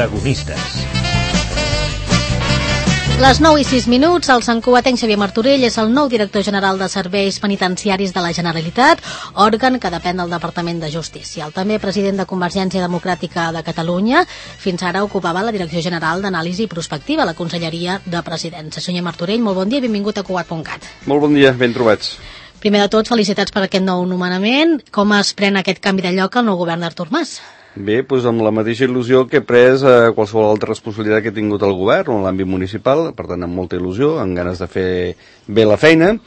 Protagonistes. Les 9:06, el santcugatenc Xavier Martorell és el nou director general de Serveis Penitenciaris de la Generalitat, òrgan que depèn del Departament de Justícia. El també president de Convergència Democràtica de Catalunya, fins ara ocupava la Direcció General d'Anàlisi Prospectiva a la Conselleria de Presidència. Senyor Martorell, molt bon dia i benvingut a Cugat.cat. Molt bon dia, ben trobats. Primer de tot, felicitats per aquest nou nomenament. Com es pren aquest canvi de lloc al nou govern d'Artur Mas? Bé, doncs amb la mateixa il·lusió que he pres qualsevol altra responsabilitat que he tingut el govern o en l'àmbit municipal, per tant amb molta il·lusió, amb ganes de fer bé la feina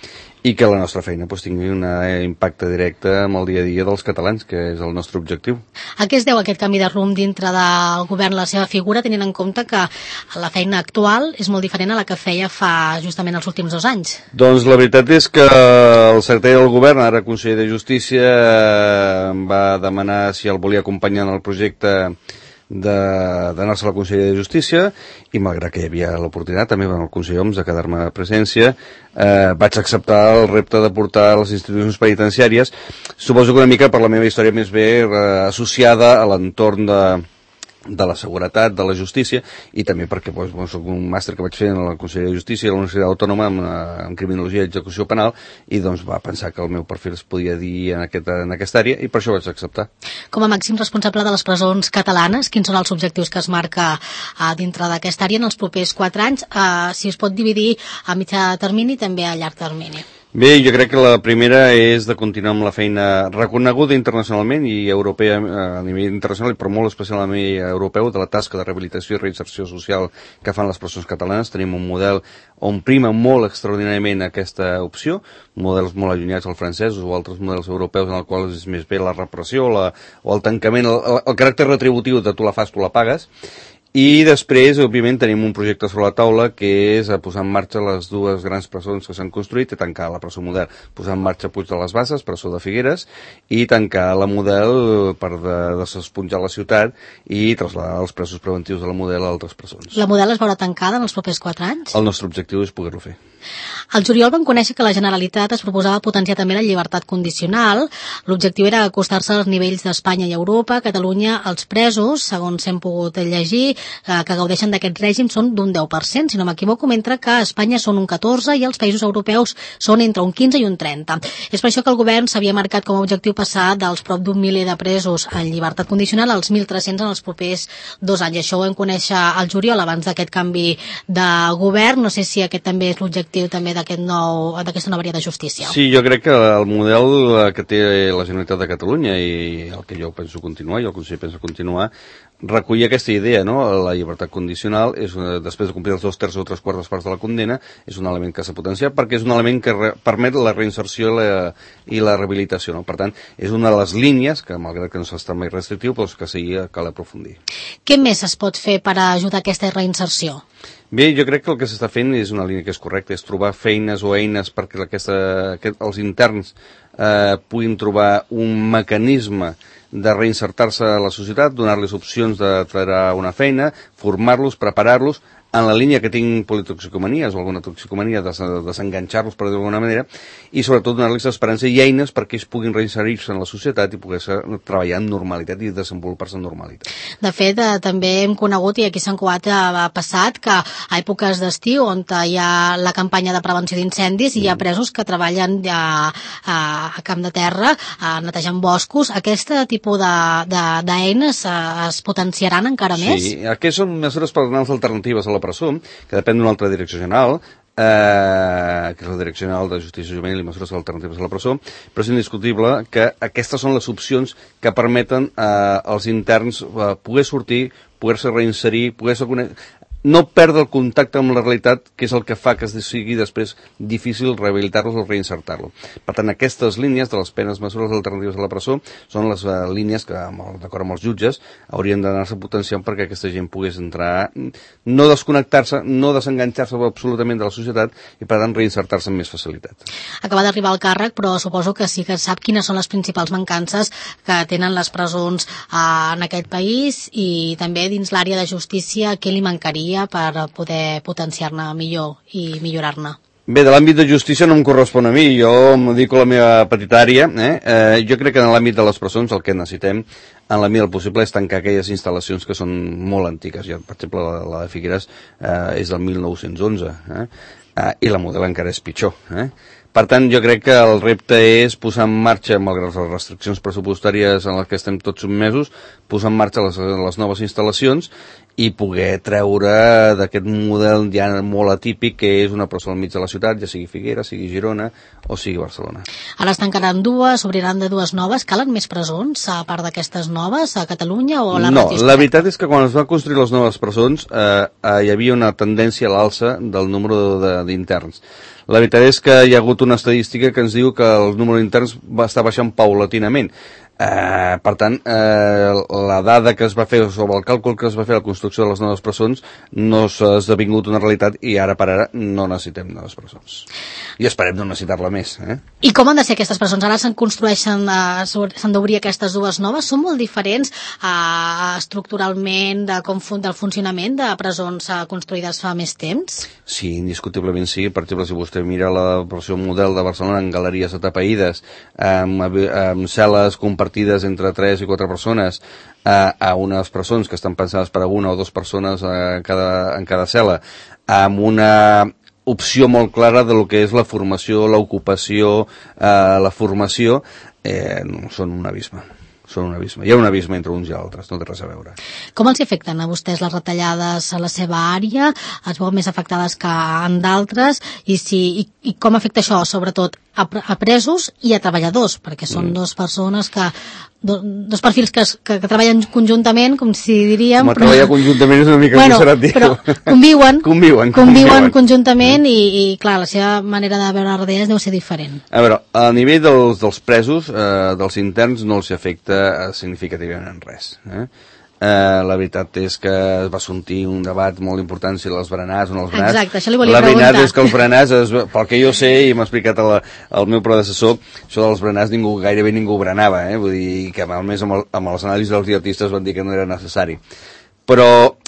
i que la nostra feina tingui un impacte directe amb el dia a dia dels catalans, que és el nostre objectiu. A què es deu aquest canvi de rumb dintre del govern, la seva figura, tenint en compte que la feina actual és molt diferent a la que feia fa justament els últims 2 anys? Doncs la veritat és que el secretari del govern, ara conseller de Justícia, em va demanar si el volia acompanyar en el projecte d'anar-se a la Conselleria de Justícia i malgrat que hi havia l'oportunitat també amb el conseller Homs de quedar-me a presència, vaig acceptar el repte de portar a les institucions penitenciàries. Suposo que una mica per la meva història més bé associada a l'entorn de la seguretat, de la justícia, i també perquè soc un màster que vaig fer en la Conselleria de Justícia a la Universitat Autònoma en Criminologia i Execució Penal, i doncs va pensar que el meu perfil es podia dir en aquesta àrea, i per això vaig acceptar. Com a màxim responsable de les presons catalanes, quins són els objectius que es marca dintre d'aquesta àrea en els propers 4 anys, si es pot dividir a mitjà termini i també a llarg termini? Bé, jo crec que la primera és de continuar amb la feina reconeguda internacionalment i europea a nivell internacional, però molt especial a nivell europeu, de la tasca de rehabilitació i reinserció social que fan les presons catalanes. Tenim un model on prima molt extraordinàriament aquesta opció, models molt allunyats al francès o altres models europeus en els quals és més bé la repressió o el tancament, el caràcter retributiu de tu la fas, tu la pagues. I després, òbviament, tenim un projecte sobre la taula que és posar en marxa les 2 grans presons que s'han construït i tancar la presó model. Posar en marxa Puig de les Basses, presó de Figueres, i tancar la model per desesponjar la ciutat i traslladar els presos preventius de la model a altres presons. La model es veurà tancada en els propers 4 anys? El nostre objectiu és poder-ho fer. Al juliol vam conèixer que la Generalitat es proposava potenciar també la llibertat condicional. L'objectiu era acostar-se als nivells d'Espanya i Europa. A Catalunya, els presos, segons hem pogut llegir, que gaudeixen d'aquest règim són d'un 10%, si no m'equivoco, mentre que a Espanya són un 14% i els països europeus són entre un 15 i un 30%. És per això que el govern s'havia marcat com a objectiu passar dels prop d'un miler de presos en llibertat condicional als 1.300 en els propers 2 anys. Això ho vam conèixer al juliol abans d'aquest canvi de govern. No sé si aquest també és l'objectiu també d'aquesta nova àrea de justícia. Sí, jo crec que el model que té la Generalitat de Catalunya i el que jo penso continuar i el conseller pensa continuar recollir aquesta idea, no? La llibertat condicional és després de complir els 2/3 o 3/4 parts de la condena, és un element que s'ha potenciat perquè és un element que permet la reinserció i la rehabilitació, no? Per tant, és una de les línies que, malgrat que no s'està mai restrictiu, però que sí cal aprofundir. Què més es pot fer per ajudar a aquesta reinserció? Bé, jo crec que el que s'està fent és una línia que és correcta, és trobar feines o eines perquè els interns puguin trobar un mecanisme de reinsertar-se a la societat, donar-los opcions de treure una feina, formar-los, preparar-los, en la línia que tinc politoxicomanies o alguna toxicomania, desenganxar-los, per dir-ho d'alguna manera, i sobretot donar-los esperança i eines perquè ells puguin reinserir-se en la societat i poder treballar en normalitat i desenvolupar-se en normalitat. De fet, també hem conegut, i aquí a Sant Cugat ha passat, que a èpoques d'estiu, on hi ha la campanya de prevenció d'incendis, hi ha presos que treballen a camp de terra, netejant boscos. Aquest tipus d'eines es potenciaran encara més? Sí, aquestes són mesures personals alternatives a la presó, que depèn d'una altra direcció general, que és la Direcció General de Justícia Juvenil i Mesures Alternatives a la Presó, però és indiscutible que aquestes són les opcions que permeten als interns poder sortir, poder-se reinserir, poder-se no perdre el contacte amb la realitat, que és el que fa que sigui després difícil rehabilitar-los o reinsertar-los. Per tant, aquestes línies de les penes mesures alternatives a la presó són les línies que, d'acord amb els jutges, haurien d'anar-se potenciant perquè aquesta gent pogués entrar, no desconnectar-se, no desenganxar-se absolutament de la societat i, per tant, reinsertar-se amb més facilitat. Acaba d'arribar al càrrec, però suposo que sí que sap quines són les principals mancances que tenen les presons en aquest país i també dins l'àrea de justícia, què li mancaria per poder potenciar-ne millor i millorar-ne? Bé, de l'àmbit de justícia no em correspon a mi, jo em dedico a la meva petita àrea. Jo crec que en l'àmbit de les presons el que necessitem en la mida del possible, és tancar aquelles instal·lacions que són molt antigues. Per exemple, la de Figueres és del 1911, i la Model encara és pitjor. Per tant, jo crec que el repte és posar en marxa, malgrat les restriccions pressupostàries en les que estem tots sotmesos, posar en marxa les noves instal·lacions i poder treure d'aquest model ja molt atípic que és una presó al mig de la ciutat, ja sigui Figueres, sigui Girona o sigui Barcelona. Ara es tancaran dues, s'obriran de dues noves. Calen més presons, a part d'aquestes noves, a Catalunya o a la No, la veritat és que quan es van construir les noves presons hi havia una tendència a l'alça del número d'interns. La veritat és que hi ha hagut una estadística que ens diu que el número d'interns va estar baixant paulatinament. Per tant, la dada que es va fer sobre el càlcul que es va fer a la construcció de les noves presons no s'ha esdevingut una realitat i ara per ara no necessitem noves presons. I esperem no necessitar-la més. I com han de ser aquestes presons? Ara s'han d'obrir aquestes dues noves. Són molt diferents estructuralment del funcionament de presons construïdes fa més temps? Sí, indiscutiblement sí. Per exemple, si vostè mira la versió model de Barcelona en galeries atapeïdes, amb cel·les compartides entre 3 i 4 persones, a unes presons que estan pensades per a 1 o 2 persones en cada cel·la, amb una opció molt clara de lo que és la formació, l'ocupació, la formació, són un abisme. Són un abisme. Hi ha un abisme entre uns i altres, no té res a veure. Com els afecten a vostès les retallades a la seva àrea? Es veuen més afectades que en d'altres? I com afecta això, sobretot, a presos i a treballadors? Perquè són dos persones dos perfils que treballen conjuntament, com si diríem... Treballar conjuntament és una mica conservatiu. Però conviuen conjuntament i, clar, la seva manera de veure les retallades deu ser diferent. A veure, a nivell dels presos, dels interns, no els afecta significativament res. La veritat és que es va sortir un debat molt important si les berenars o no els berenars. Exacte, això li volia preguntar. La veritat és que els berenars, pel que jo sé i m'ha explicat el meu predecessor, això dels berenars gairebé ningú berenava, vull dir que a més amb les anàlisis dels dietistes van dir que no era necessari. Però,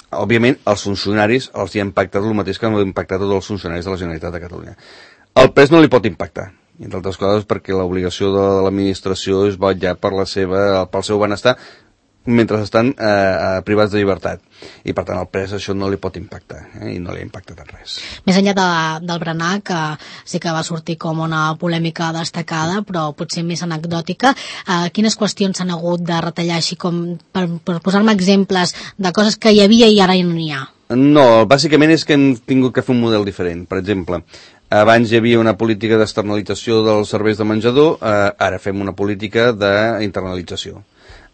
òbviament, als funcionaris els hi ha impactat el mateix que ha impactat tots els funcionaris de la Generalitat de Catalunya. El pres no li pot impactar, entre altres coses perquè l'obligació de l'administració és vetllar pel seu benestar mentre estan privats de llibertat. I, per tant, al pres això no li pot impactar, i no li ha impactat en res. Més enllà del berenar, que sí que va sortir com una polèmica destacada, però potser més anecdòtica, quines qüestions s'han hagut de retallar, així com per posar-me exemples de coses que hi havia i ara no n'hi ha? No, bàsicament és que hem tingut que fer un model diferent. Per exemple, abans hi havia una política d'externalització dels serveis de menjador, ara fem una política d'internalització.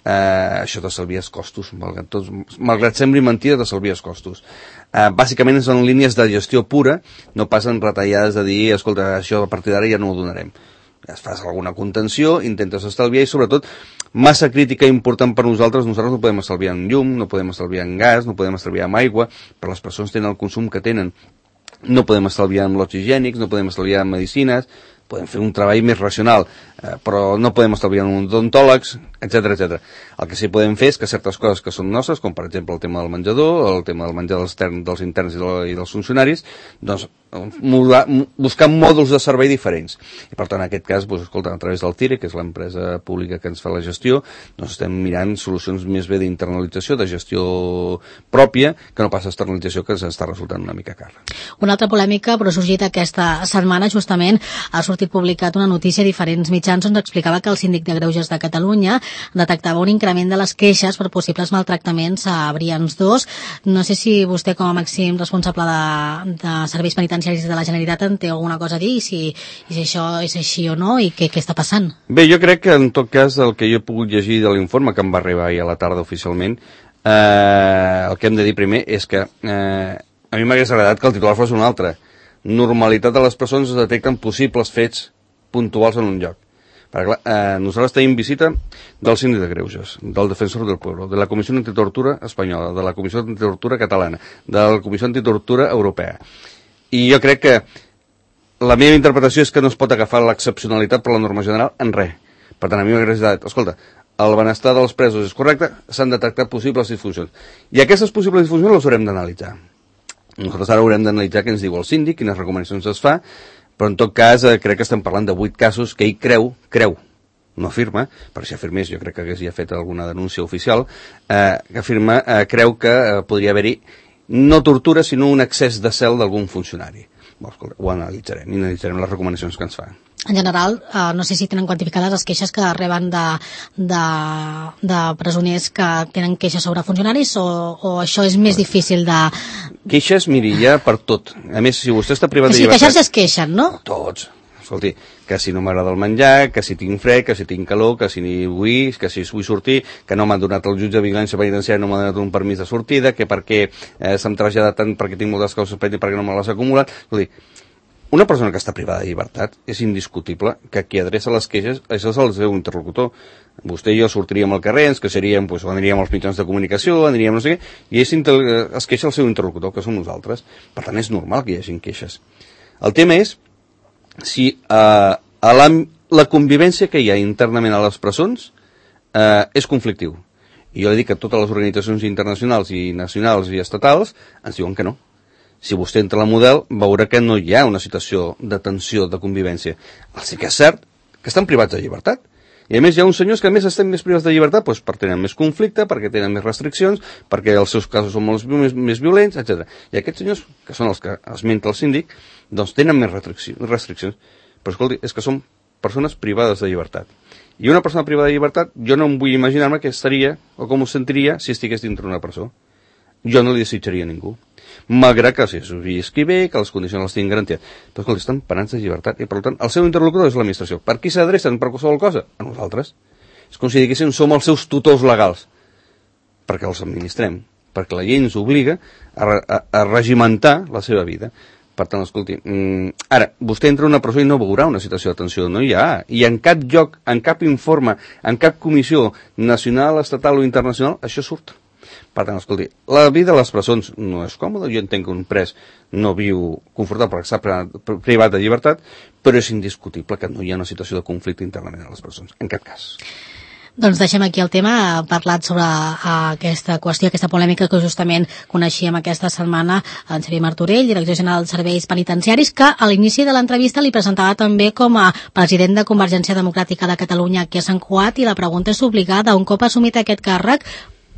Això t'estalvies costos, malgrat sembli mentida, t'estalvies costos. Bàsicament són línies de gestió pura, no passen retallades de dir, escolta, això a partir d'ara ja no ho donarem. Fas alguna contenció, intentes estalviar i sobretot massa crítica important per nosaltres no podem estalviar en llum, no podem estalviar en gas, no podem estalviar en aigua, però les persones tenen el consum que tenen. No podem estalviar en lots higiènics, no podem estalviar en medicines, podem fer un treball més racional, però no podem estalviar en odontòlegs, etc. El que sí podem fer és que certes coses que són nostres, com per exemple el tema del menjador, el tema del menjar dels interns i dels funcionaris, doncs buscar mòduls de servei diferents. I per tant, en aquest cas, escolta, a través del CIRE, que és l'empresa pública que ens fa la gestió, doncs estem mirant solucions més bé d'internalització, de gestió pròpia, que no pas externalització, que ens està resultant una mica cara. Una altra polèmica, però ha sorgit aquesta setmana, justament, ha sortit publicat una notícia a diferents mitjans on explicava que el síndic de Greuges de Catalunya detectava un increment de les queixes per possibles maltractaments a Brians 2. No sé si vostè, com a màxim responsable de serveis penitenciaris de la Generalitat, en té alguna cosa a dir, si això és així o no, i què està passant? Bé, jo crec que en tot cas el que jo he pogut llegir de l'informe, que em va arribar ahir a la tarda oficialment, el que hem de dir primer és que a mi m'hagués agradat que el titular fos un altre. Normalitat de les presons es detecten possibles fets puntuals en un lloc. Perquè, clar, nosaltres tenim visita del síndic de Greuges, del defensor del pueblo, de la Comissió Antitortura espanyola, de la Comissió Antitortura catalana, de la Comissió Antitortura europea. I jo crec que la meva interpretació és que no es pot agafar l'excepcionalitat per la norma general en res. Per tant, a mi m'hagués agradat, escolta, el benestar dels presos és correcte, s'han detectat possibles disfuncions. I aquestes possibles disfuncions les haurem d'analitzar. Nosaltres ara haurem d'analitzar què ens diu el síndic, quines recomanacions es fa, però en tot cas crec que estem parlant de 8 casos que ell creu, no afirma, però si afirmés jo crec que hagués ja fet alguna denúncia oficial, que afirma, creu que podria haver-hi no tortura, sinó un excés de zel d'algun funcionari. Ho analitzarem, i analitzarem les recomanacions que ens fa. En general, no sé si tenen quantificades les queixes que reben de presoners que tenen queixes sobre funcionaris o això és més difícil de... Queixes, miri, ja per tot. A més, si vostè està privat de llibertat... queixar-se es queixen, no? Tots. Escolti, que si no m'agrada el menjar, que si tinc fred, que si tinc calor, que si vull sortir, que no m'han donat el jutge de vigilància penitenciària, no m'ha donat un permís de sortida, que perquè se'm trasllada tant perquè tinc moltes coses pendents perquè no me les ha acumulat. Escolti, una persona que està privada de llibertat és indiscutible que qui adreça les queixes això és el seu interlocutor. Vostè i jo sortiríem al carrer, ens queixaríem, doncs, aniríem als mitjans de comunicació, aniríem no sé què, i es queixa el seu interlocutor, que som nosaltres. Per tant, és normal que hi hagin queixes. El tema és si la convivència que hi ha internament a les presons és conflictiu. I jo li dic que totes les organitzacions internacionals i nacionals i estatals ens diuen que no. Si vostè entra a la Model, veurà que no hi ha una situació de tensió, de convivència. Sí que és cert que estan privats de llibertat. I a més hi ha uns senyors que a més estan més privats de llibertat doncs, perquè tenen més conflicte, perquè tenen més restriccions, perquè els seus casos són molt més violents, etc. I aquests senyors, que són els que esmenta el síndic, doncs tenen més restriccions. Però escolti, és que són persones privades de llibertat. I una persona privada de llibertat, jo no em vull imaginar-me què estaria o com ho sentiria si estigués dintre una presó. Jo no li desitjaria a ningú. Malgrat que si visqui bé, que les condicions les tinguin garantides. Però escolta, estan penats de llibertat i per tant el seu interlocutor és l'administració. Per qui s'adrecen per qualsevol cosa? A nosaltres. És com si diguéssim som els seus tutors legals. Perquè els administrem. Perquè la llei ens obliga a regimentar la seva vida. Per tant, escolti, ara, vostè entra a una presó i no veurà una situació de tensió, no hi ha. I en cap lloc, en cap informe, en cap comissió nacional, estatal o internacional, això surt. Per tant, escolti, la vida a les presons no és còmoda, jo entenc que un pres no viu confortable perquè està privat de llibertat, però és indiscutible que no hi ha una situació de conflicte internament a les presons, en cap cas. Doncs deixem aquí el tema, parlat sobre aquesta qüestió, aquesta polèmica que justament coneixíem aquesta setmana en Xavier Martorell, director general dels serveis penitenciaris, que a l'inici de l'entrevista li presentava també com a president de Convergència Democràtica de Catalunya aquí a Sant Cugat, i la pregunta és obligada, un cop assumit aquest càrrec,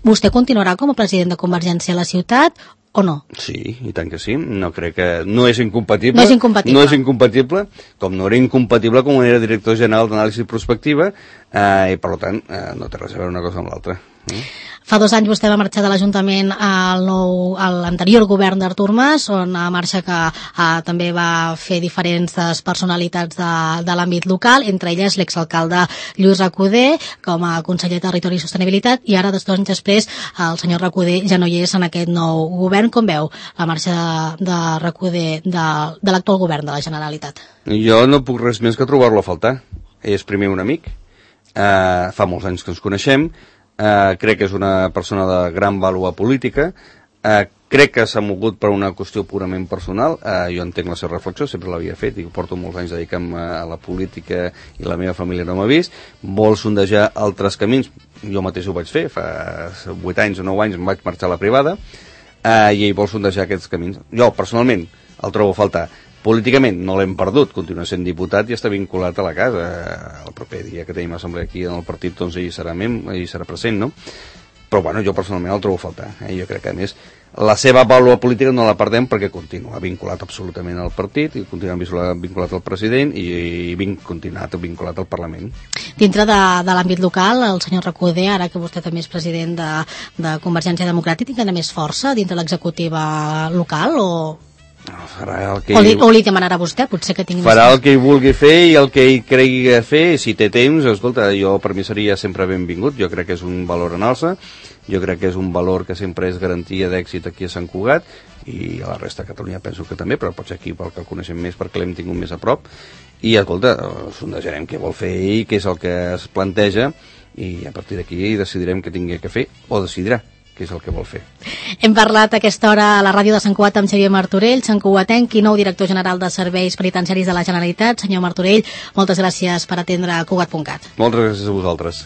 vostè continuarà com a president de Convergència a la ciutat o no? Sí, i tant que sí. No crec que... No és incompatible. No és incompatible. No és incompatible, com no era incompatible com era director general d'anàlisi prospectiva, i per tant no té res a veure una cosa amb l'altra. Fa 2 anys vostè va marxar de l'Ajuntament a l'anterior govern d'Artur Mas, on marxa que també va fer diferents personalitats de l'àmbit local, entre elles l'exalcalde Lluís Recoder com a conseller de Territori i Sostenibilitat, i ara, 2 anys després, el senyor Recoder ja no hi és en aquest nou govern. Com veu la marxa de Recoder de l'actual govern de la Generalitat? Jo no puc res més que trobar-lo a faltar. És primer un amic, fa molts anys que ens coneixem, crec que és una persona de gran vàlua política, crec que s'ha mogut per una qüestió purament personal, jo entenc la seva reflexió, sempre l'havia fet i porto molts anys dedicant a la política i la meva família no m'ha vist, vol sondejar altres camins, jo mateix ho vaig fer, fa 8 anys o 9 anys em vaig marxar a la privada, i ell vol sondejar aquests camins. Jo personalment el trobo a faltar. Políticament no l'hem perdut, continua sent diputat i està vinculat a la casa. El proper dia que tenim assemblea aquí en el partit, doncs ell serà present, no? Però bueno, jo personalment el trobo a faltar. Jo crec que a més la seva vàlua política no la perdem perquè continua vinculat absolutament al partit i continua vinculat al president i continua vinculat al Parlament. Dintre de l'àmbit local, el senyor Recoder, ara que vostè també és president de Convergència Democràtica, tindrà més força dintre l'executiva local o li demanarà vostè, potser que tingui... Farà el que ell vulgui fer i el que ell cregui fer, si té temps, escolta, jo per mi seria sempre benvingut, jo crec que és un valor en alça, jo crec que és un valor que sempre és garantia d'èxit aquí a Sant Cugat, i a la resta de Catalunya penso que també, però potser aquí pel que el coneixem més, perquè l'hem tingut més a prop, i escolta, sondejarem què vol fer ell, què és el que es planteja, i a partir d'aquí decidirem què tingui que fer, o decidirà que és el que vol fer. Hem parlat a aquesta hora a la ràdio de Sant Cugat amb Xavier Martorell, santcugatenc i nou director general de Serveis Penitenciaris de la Generalitat. Senyor Martorell, moltes gràcies per atendre Cugat.cat. Moltes gràcies a vosaltres.